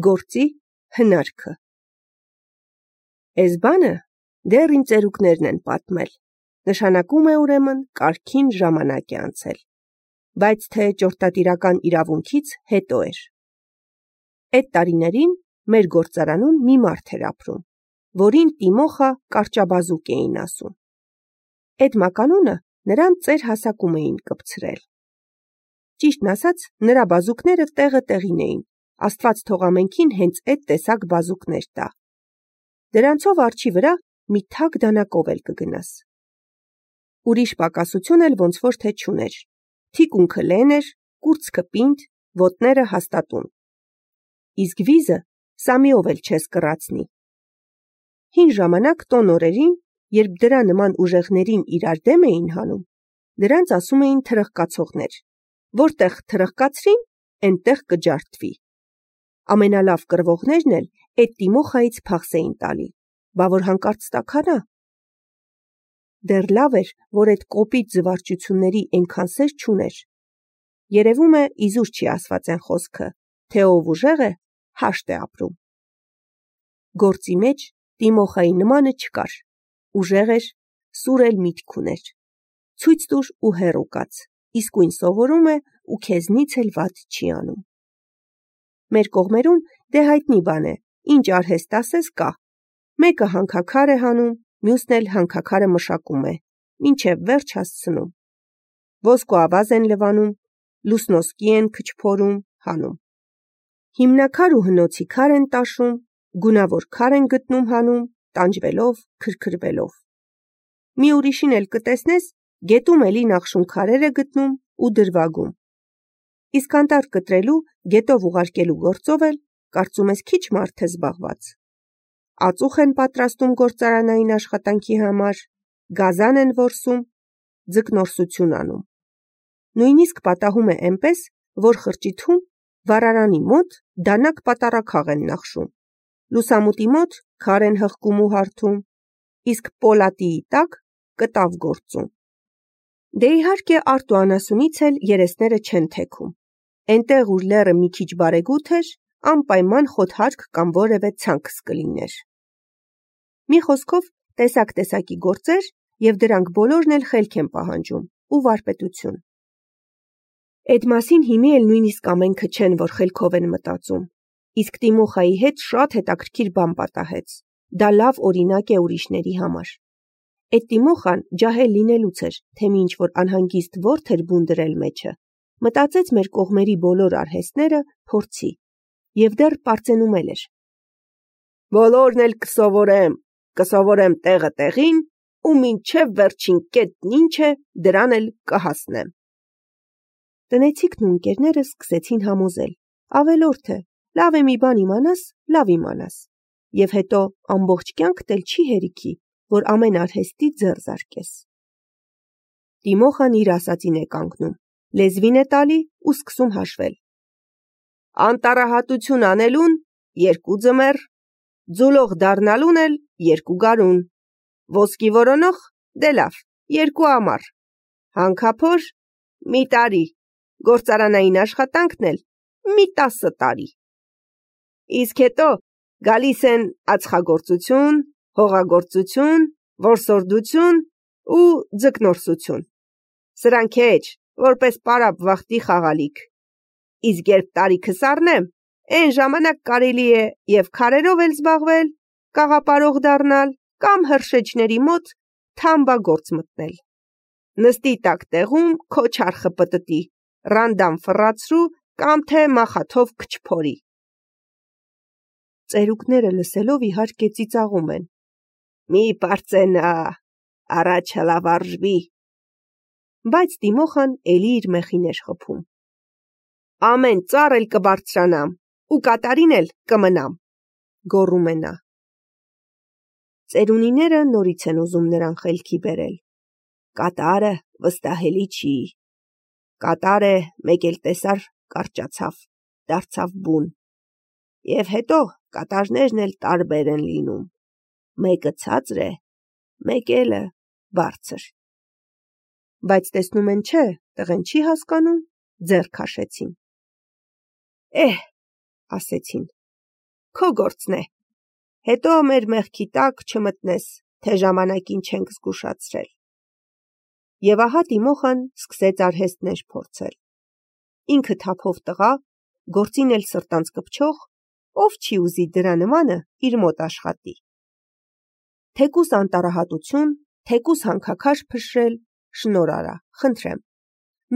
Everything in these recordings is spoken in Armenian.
Գործի հնարքը։ Էս բանը դեռ իմ ծերուկներն են պատմել, նշանակում է ուրեմն կարգին ժամանակ է անցել, բայց թե ճորտատիրական իրավունքից հետո էր։ Այդ տարիներին մեր գործարանում մի մարդ էր ապրում, որին Տիմոխա կարճաբազուկ էին ասում։ Այդ մականունը նրան ծեր հասակում էին կպցրել։ Ճիշտն ասած, նրա բազուկները տեղը տեղին էին, Աստված թող ամենքին հենց այդ տեսակ բազուկներ տա։ Դրանցով արջի վրա մի թակ դանակով էլ կգնաս։ Ուրիշ պակասություն էլ ոնց որ թե չուներ։ Թիկունքը լեն էր, կուրծքը պինդ, ոտները հաստատուն։ Իսկ վիզը սամիով էլ չես կռացնի։ Հին ժամանակ տոն օրերին, երբ դրա նման ուժեղներին իրար դեմ էին հանում, դրանց ասում էին թրխկացողներ, որտեղ թրխկացրին, այնտեղ կջարդվի։ Ամենալավ կռվողներն էլ այդ Տիմոխայից փախս էին տալի, բա որ հանկարծ տաքանա։ Դեռ լավ էր, որ այդ կոպիտ զվարճությունների այնքան սեր չուներ։ Երևում է իզուր չի ասված են խոսքը, թե ով ուժեղ է, հաշտ է ապրում։ Գործի մեջ Տիմոխայի նմանը չկար, ուժեղ էր, սուր էլ միտք ուներ։ Ցույց տուր ու հեռու կաց, իսկույն սովորում է ու քեզնից էլ վատ չի անում։ Մեր կողմերում դե հայտնի բան է, ինչ արհեստ ասես կա։ Մեկը հանքաքար է հանում, մյուսն էլ հանքաքարը մշակում է, մինչև վերջ հասցնում։ Ոսկու ավազ են լվանում, լուսնոսկի են քչփորում, հանում։ Հիմնակար ու հնոցի քար են տաշում, գունավոր քար են գտնում հանում, տանջվելով, քրքրվելով։ Մի ուրիշին էլ կտեսնես, գետում էլի նախշուն քարեր է գտնում ու դրվագում։ Իսկ անտառ կտրելու, գետով ուղարկելու գործով էլ կարծում ես քիչ մարդ է զբաղված։ Ածուխ են պատրաստում գործարանային աշխատանքի համար, գազան են որսում, ձկնորսություն անում։ Նույնիսկ պատահում է այնպես, որ խրճիթում վառարանի մոտ դանակ պատարագաղ են նախշում, լուսամուտի մոտ քար են հղկում ու հարթում, իսկ պոլատիի տակ կտավ գործում։ Դե իհարկե արտ ու անասունից էլ երեսները չեն թեքում։ Այնտեղ ուր լեռը մի քիչ բարեգութ էր, անպայման խոթարկ կամ որևէ ցանքս կլիներ։ Մի խոսքով տեսակ-տեսակի գործեր եւ դրանք բոլորն էլ խելք են պահանջում ու վարպետություն։ Այդ մասին հիմի էլ նույնիսկ ամենքը չեն, որ խելքով են մտածում։ Իսկ Տիմոխայի հետ շատ հետաքրքիր բան պատահեց։ Դա լավ օրինակ է ուրիշների համար։ Այդ Տիմոխան ջահել լինելուց էր, թե ինչ որ անհանգիստ ворթ էր բուն դրել մեջը, մտածեց մեր կողմերի բոլոր արհեստները փորձի եւ դեռ պարծենումել էր։ Բոլորն էլ կսովորեմ տեղը տեղին ու մինչև վերջին կետն ինչ է, դրան էլ կհասնեմ։ Տնեցիքն ու ընկերները սկսեցին համոզել. ավելորդ է, լավ է մի բան իմանաս, լավ իմանաս, եւ հետո ամբողջ կյանքդ էլ չի հերիքի, որ ամեն արհեստի ձեռ զարկես։ Տիմոխան իր ասածին է կանգնում, լեզվին է տալի ու սկսում հաշվել։ Անտառահատություն անելուն 2 ձմեռ, ձուլող դառնալուն էլ 2 գարուն, ոսկի որոնող դե լավ 2 ամառ, հանքափոր մի տարի, գործարանային աշխատանքն էլ մի 10 տարի։ Իսկ հետո գալիս են ածխագործություն, հողագործություն, որսորդություն ու ձկնորսություն։ Սրանք էջ, որպես պարապ վախտի խաղալիք։ Իսկ երբ տարիքս առնեմ, այն ժամանակ կարելի է եւ քարերով էլ զբաղվել, կաղապարող դառնալ կամ հրշեջների մոտ թամբագործ մտնել։ Նստի տակ տեղում քո չարխը պտտի, ռանդամ ֆռացրու կամ թե մախաթով քչփորի։ Ծերուկները լսելով իհարկե ծիծաղում են։ Մի պարծենա, առաջ հլավարժվի։ Բայց Տիմոխան էլի իր մեխին էր խփում։ Ամեն ծառ էլ կբարձրանամ ու կատարին էլ կմնամ, գոռում է նա։ Ծերունիները նորից են ուզում նրան խելքի բերել։ Կատարը վստահելի չի։ Կատար է, մեկ էլ տեսար կարճացավ, դարձավ բուն։ Եվ հետո կատարներն էլ տարբեր են լինում։ Մեկը ցածր է, մեկ էլը բարձր։ Բայց տեսնում են չէ, տղեն չի հասկանում, ձեռ քաշեցին։ Ասեցին, քո գործն է։ Հետո մեր մեղքի տակ չմտնես, թե ժամանակին չենք զգուշացրել։ Եվ ահա Տիմոխան սկսեց արհեստներ փորձել։ Ինքը թափով տղա, գործին էլ սրտանց կպչող, ով չի ուզի դրա նմանը իր մոտ աշխատի։ Թեկուս անտարահատություն, թեկուս հանքաքաշ փշրել, շնոր արա, խնդրեմ։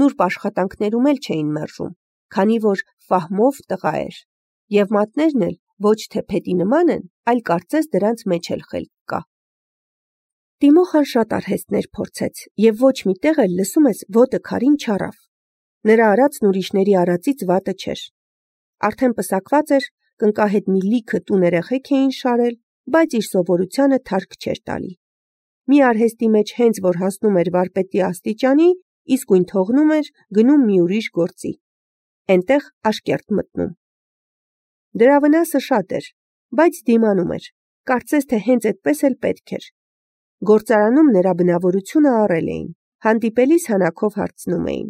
Նուրբ աշխատանքներում էլ չէին մերժում, քանի որ ֆահմով տղա էր, եւ մատներն էլ ոչ թե փետի նման են, այլ կարծես դրանց մեջ էլ խելք կա։ Տիմոխան շատ արհեստներ փորձեց եւ ոչ մի տեղ էլ լսում ես ոտը քարին չառավ։ Նրա արածն ուրիշների արածից վատը չէր։ Արդեն պսակված էր, կնկահետ մի լիքը տուն երեխեք էին շարել, բայց իր սովորությանը թարք չէր տալի։ Մի արհեստի մեջ հենց որ հասնում էր վարպետի աստիճանի, իսկույն թողնում էր, գնում մի ուրիշ գործի։ Էնտեղ աշկերտ մտնում։ Դրա վնասը շատ էր, բայց դիմանում էր, կարծես թե հենց այդպես էլ պետք էր։ Գործարանում նրա բնավորությունը առել էին, հանդիպելիս հանակով հարցնում էին.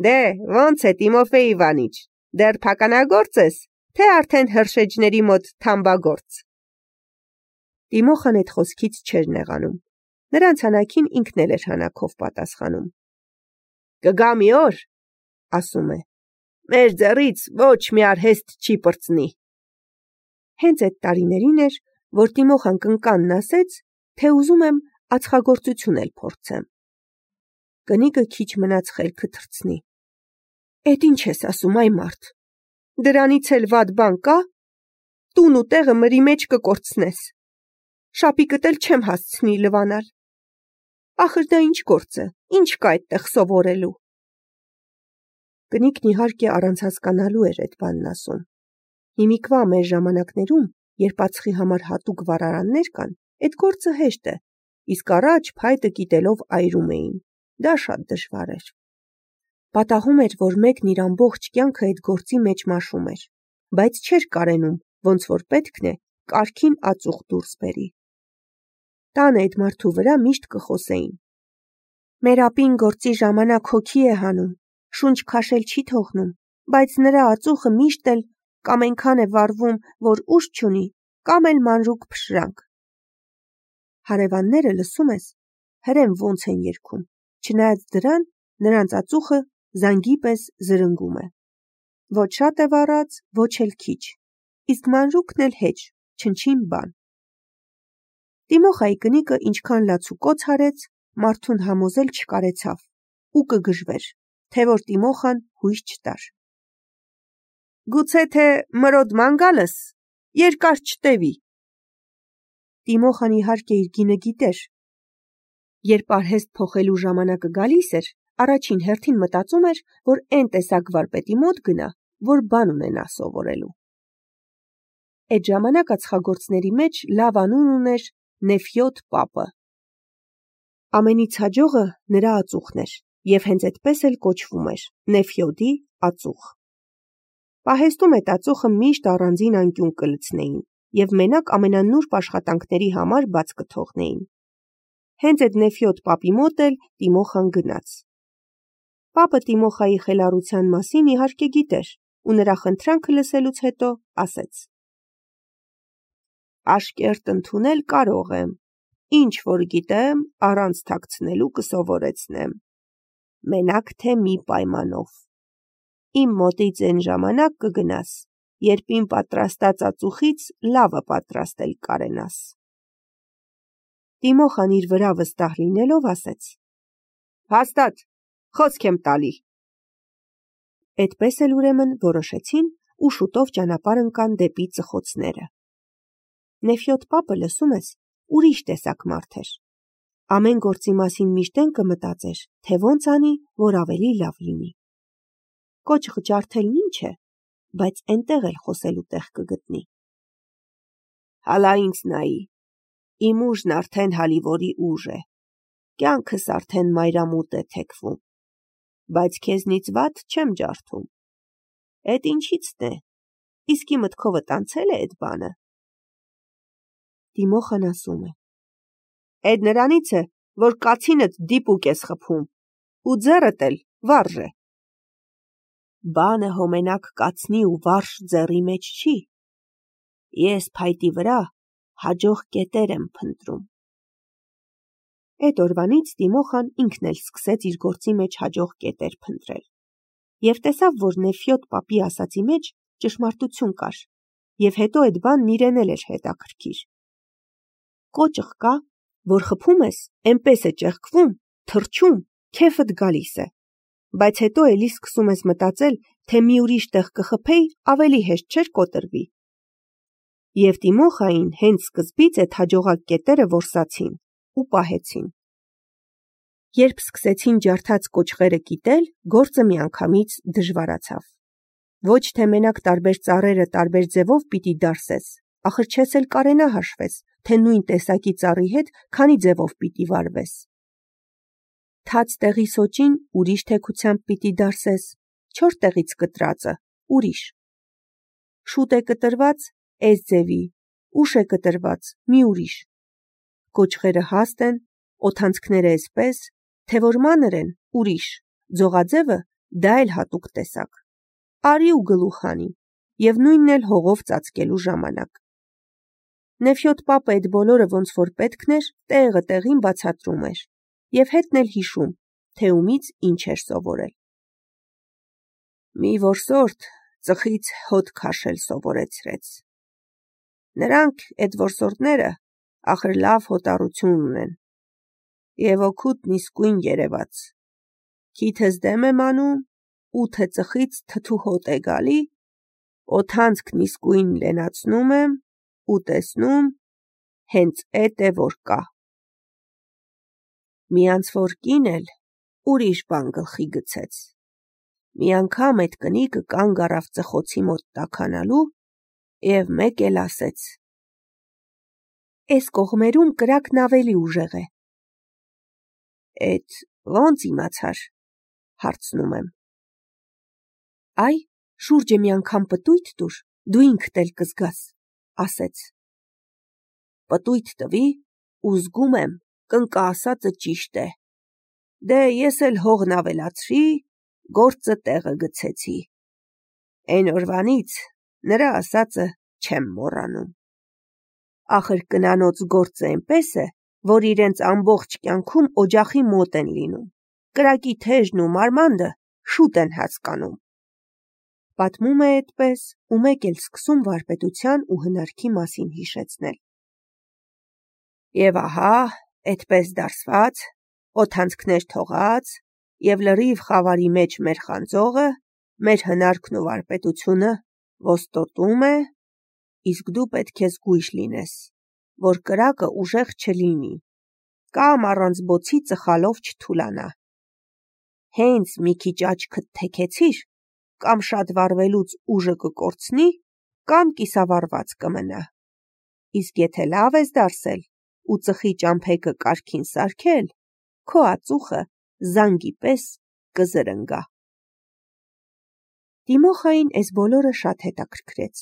Դե, ո՞նց է Տիմոֆեյ Իվանիչ, դեռ փականագործ ես, թե արդեն հրշեջների մոտ թամբագործ։ Տիմոխան այդ խոսքից չէր նեղանում, նրանց հանակին ինքն էլ էր հանակով պատասխանում։ Կգա մի օր, ասում է, մեր ձեռից ոչ մի արհեստ չի պրծնի։ Հենց այդ տարիներին էր, որ Տիմոխան կնկանն ասեց, թե ուզում եմ ածխագործություն էլ փորձեմ։ Կնիկը քիչ մնաց խելքը թռցնի։ Էդ ինչ ես ասում, այ մարդ, դրանից էլ վատ բան կա, տուն ու տեղը մրի մեջ կկորցնես, շապիկդ էլ չեմ հասցնի լվանալ, ախր դա ինչ գործ է, ինչ կա այդտեղ սովորելու։ Կնիկն իհարկե առանց հասկանալու էր այդ բանն ասում։ Հիմիկվա մեր ժամանակներում, երբ ածխի համար հատուկ վառարաններ կան, այդ գործը հեշտ է, իսկ առաջ փայտը կիտելով այրում էին, դա շատ դժվար էր։ Պատահում էր, որ մեկն իր ամբողջ կյանքը այդ գործի մեջ մաշում էր, բայց չէր կարենում, ոնց որ պետքն է, կարգին ածուխ դուրս բերի։ Տանը այդ մարդու վրա միշտ կխոսեին. մեր ապին գործի ժամանակ հոգի է հանում, շունչ քաշել չի թողնում, բայց նրա ածուխը միշտ էլ կամ այնքան է վառվում, որ ուժ չունի, կամ էլ մանրուկ փշրանք։ Հարևանները լսում ես, հրեն ոնց են երգում, չնայած դրան նրանց ածուխը զանգի պես զրնգում է։ Ոչ շատ է վառած, ոչ էլ քիչ, իսկ մանրուկն էլ հեչ, չնչին բան։ Տիմոխայի կնիկը ինչքան լացուկոց հարեց, մարդուն համոզել չկարեցավ ու կգժվեր, թե որ Տիմոխան հույս չտար։ Գուցե թե մրոդ մանգալս երկար չտևի։ Տիմոխան իհարկե իր գինը գիտեր։ Երբ արհեստ փոխելու ժամանակը գալիս էր, առաջին հերթին մտածում էր, որ այն տեսակ վարպետի մոտ գնա, որ բան ունենա սովորելու։ Այդ ժամանակ ածխագործների մեջ լավ անուն ուներ Նեֆյոտ պապը։ Ամենից հաջողը նրա ածուխն էր, եւ հենց այդպես էլ կոչվում էր Նեֆյոդի ածուխ։ Պահեստում այդ ածուխը միշտ առանձին անկյուն կլցնեին եւ մենակ ամենանուրբ աշխատանքների համար բաց կթողնեին։ Հենց այդ Նեֆյոտ պապի մոտ էլ Տիմոխան գնաց։ Պապը Տիմոխայի խելառության մասին իհարկե գիտեր ու նրա խնդրանքը լսելուց հետո ասեց. Աշկերտ ընդունել կարող եմ, ինչ որ գիտեմ, առանց թաքցնելու կսովորեցնեմ, մենակ թե մի պայմանով։ Իմ մոտից այն ժամանակ կգնաս, երբ իմ պատրաստած ածուխից լավը պատրաստել կարենաս։ Տիմոխան իր վրա վստահ լինելով ասեց. Հաստատ, խոսք եմ տալի։ Այդպես էլ ուրեմն որոշեցին ու շուտով ճանապարհ ընկան դեպի ծխոցները։ Նեֆյոտ պապը լսում ես, ուրիշ տեսակ մարդ էր։ Ամեն գործի մասին միշտ են կմտածեր, թե ոնց անի, որ ավելի լավ լինի։ Կոճղ ջարդելն ինչ է, բայց այնտեղ էլ խոսելու տեղ կգտնի։ Հալա ինձ նայի, իմ ուժն արդեն հալիվորի ուժ է, կյանքս արդեն մայրամուտ է թեքվում, բայց քեզնից վատ չեմ ջարդում։ Էդ ինչից՞ն է, իսկի մտքովդ անցել է այդ բանը։ Տիմոխան ասում է. Էդ նրանից է, որ կացինդ դիպուկ ես խփում, ու ձեռդ էլ վարժ է։ Բանը հոմենակ կացնի ու վարժ ձեռի մեջ չի, ես փայտի վրա հաջող կետեր եմ փնտրում։ Այդ օրվանից Տիմոխան ինքն էլ սկսեց իր գործի մեջ հաջող կետեր փնտրել։ Եվ տեսավ, որ Նեֆյոտ պապի ասացի մեջ ճշմարտություն կար, եւ հետո այդ բանն իրեն էլ էր հետաքրքիր։ Կոճղ կա, որ խփում ես, էնպես է ճեղքվում, թռչում, քեֆդ գալիս է, բայց հետո էլի սկսում ես մտածել, թե մի ուրիշ տեղ կխփեի, ավելի հեշտ չէր կոտրվի։ Եվ Տիմոխային հենց սկզբից այդ հաջողակ կետերը որսացին ու պահեցին։ Երբ սկսեցին ջարդած կոճղերը կիտել, գործը միանգամից դժվարացավ։ Ոչ թե մենակ տարբեր ծառերը տարբեր ձևով պիտի դարսես, ախր չես էլ կարենա հաշվես, թե նույն տեսակի ծառի հետ քանի ձևով պիտի վարվես։ Թաց տեղի սոճին ուրիշ թեքությամբ պիտի դարսես, չոր տեղից կտրածը ուրիշ։ Շուտ է կտրված էս ձևի, ուշ է կտրված մի ուրիշ։ Կոճղերը հաստ են, օդանցքները էսպես, թե որ մանր են ուրիշ, ձողաձևը դա էլ հատուկ տեսակ։ Արի ու գլուխ հանի, եւ նույնն էլ հողով ծածկելու ժամանակ։ Նեֆյոտ պապը այդ բոլորը ոնց որ պետքն էր, տեղը տեղին բացատրում էր, եւ հետն էլ հիշում, թե ումից ինչ էր սովորել։ Մի որսորդ ծխից հոտ քաշել սովորեցրեց։ Նրանք, այդ որսորդները, ախր լավ հոտառություն ունեն, եւ օգուտն իսկույն երևաց։ Քիթս դեմ եմ անում, 8 ծխից թթու հոտ է գալի, օդանցքն իսկույն լենացնում եմ ու տեսնում, հենց էդ է որ կա։ Միանց որ կին էլ ուրիշ բան գլխի գցեց։ Մի անգամ այդ կնիկը կանգ առավ ծխոցի մոտ տաքանալու եւ մեկ էլ ասեց. Էս կողմերում կրակն ավելի ուժեղ է։ Էդ ոնց իմացար, հարցնում եմ։ Այ, շուրջը մի անգամ պտույտ տուր, դու ինքդ էլ կզգաս, ասեց։ Պտույտ տվի ու զգում եմ, կնկա ասածը ճիշտ է։ Դե ես էլ հողն ավելացրի, գործը տեղը գցեցի։ Այն օրվանից նրա ասածը չեմ մոռանում։ Ախր կնանոց գործը այնպես է, որ իրենց ամբողջ կյանքում օջախի մոտ են լինում, կրակի թեժն ու մարմանդը շուտ են հասկանում։ Պատմում է այդպես ու մեկ էլ սկսում վարպետության ու հնարքի մասին հիշեցնել։ Եվ ահա, այդպես դարսված, օդանցքներ թողած եւ լրիվ խավարի մեջ մեր խանձողը, մեր հնարքն ու վարպետությունը ոստոտում է, իսկ դու պետք է զգույշ լինես, որ կրակը ուժեղ չլինի, կամ առանց բոցի ծխալով չթուլանա։ Հենց մի քիչ աչքդ թեքեցիր, կամ շատ վառվելուց ուժը կկորցնի, կամ կիսավառված կմնա։ Իսկ եթե լավ ես դարսել ու ծխի ճամփեգը կարգին սարքել, քո ածուխը զանգի պես կզրնգա։ Տիմոխային այս բոլորը շատ հետաքրքրեց։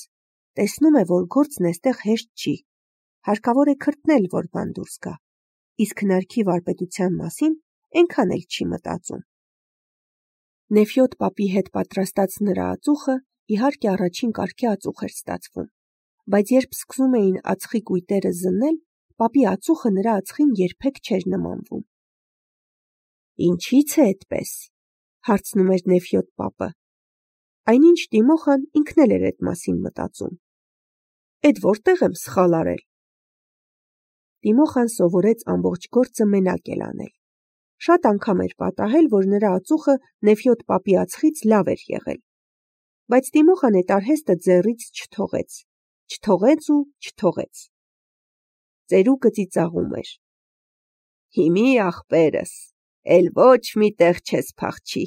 Տեսնում է, որ գործն էստեղ հեշտ չի։ Հարկավոր է քրտնել, որ բան դուրս գա, իսկ հնարքի վարպետության մասին այնքան էլ չի մտածում։ Նեֆյոտ պապի հետ պատրաստած նրա ածուխը իհարկե առաջին կարգի ածուխ էր ստացվում, բայց երբ սկսում էին ածխի կույտերը զննել, պապի ածուխը նրա ածխին երբեք չէր նմանվում։ Ինչի՞ց է այդպես, հարցնում էր Նեֆյոտ պապը։ Այնինչ Տիմոխան ինքն էլ էր այդ մասին մտածում։ Էդ որտեղ եմ սխալ արել։ Տիմոխան սովորեց ամբողջ գործը մենակ էլ անել։ Շատ անգամ էր պատահել, որ նրա ածուխը Նեֆյոտ պապի ածխից լավ էր եղել։ Բայց Տիմոխան այդ արհեստը ձեռից չթողեց։ Ծերուկը ծիծաղում էր։ Հիմի ախպերս, էլ ոչ մի տեղ չես փախչի։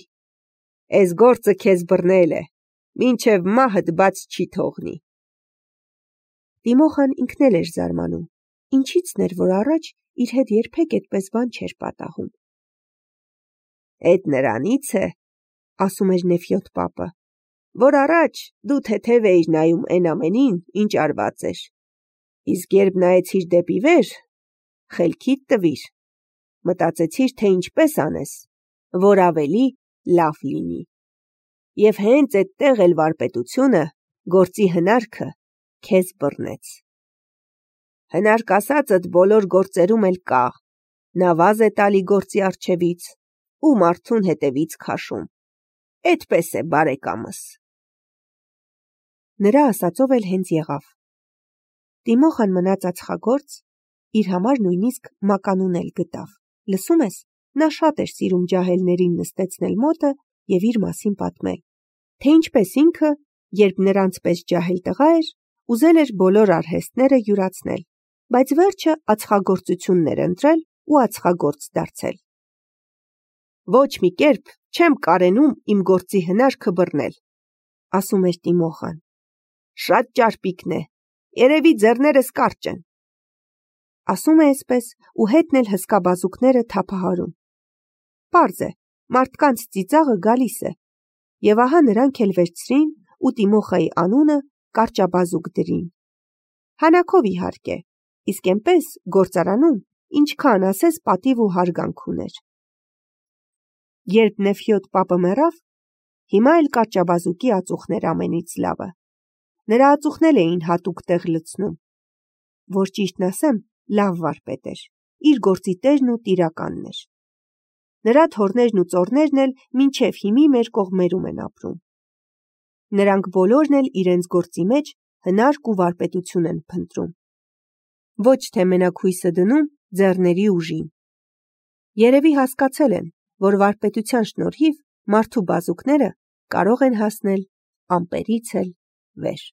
Էս գործը քեզ բռնել է, մինչև մահդ բաց չի թողնի։ Տիմոխան ինքն էլ էր զարմանում, ինչից-ն էր, որ առաջ իր հետ երբեք այդպես բան չէր պատահում։ Էդ նրանից է, ասում էր Նեֆյոտ պապը, որ առաջ դու թեթև էիր նայում այն ամենին, ինչ արված էր, իսկ երբ նայեցիր դեպի վեր, խելքիդ տվիր, մտածեցիր, թե ինչպես անես, որ ավելի լավ լինի։ Եվ հենց այդտեղ էլ վարպետությունը, գործի հնարքը քեզ բռնեց։ Հնարք ասածդ բոլոր գործերում էլ կա, նավազ է տալի գործի առջևից ու մարդուն հետևից քաշում, էդպես է բարեկամս։ Նրա ասածով էլ հենց եղավ։ Տիմոխան մնաց ածխագործ, իր համար նույնիսկ մականուն էլ գտավ, լսում ես, նա շատ էր սիրում ջահելներին նստեցնել մոտը և իր մասին պատմել, թե ինչպես ինքը, երբ նրանց պես ջահել տղա էր, ուզել էր բոլոր արհեստները յուրացնել, բայց վերջը ածխագործությունն էր ընտրել ու ածխագործ դարձել։ Ոչ մի կերպ չեմ կարենում իմ գործի հնարքը բռնել, ասում էր Տիմոխան, շատ ճարպիկն է, երևի ձեռներս կարճ են։ Ասում է այսպես ու հետն էլ հսկա բազուկները թափահարում։ Պարզ է, մարդկանց ծիծաղը գալիս է, և ահա նրանք էլ վերցրին ու Տիմոխայի անունը կարճաբազուկ դրին։ Հանակով իհարկե, իսկ էնպես գործարանում ինչքան ասես պատիվ ու հարգանք ուներ։ Երբ Նեֆյոդ պապը մեռավ, հիմա էլ կարճաբազուկի ածուխն էր ամենից լավը։ Նրա ածուխն էլ էին հատուկ տեղ լցնում։ Որ ճիշտն ասեմ, լավ վարպետ էր, իր գործի տերն ու տիրականն էր։ Նրա թոռներն ու ծոռներն էլ մինչև հիմի մեր կողմերում են ապրում։ Նրանք բոլորն էլ իրենց գործի մեջ հնարք ու վարպետություն են փնտրում։ Ոչ թե մենակ հույսը դնում ձեռների ուժին։ Երևի հասկացել են, որ վարպետության շնորհիվ մարդու բազուկները կարող են հասնել ամպերից էլ վեր։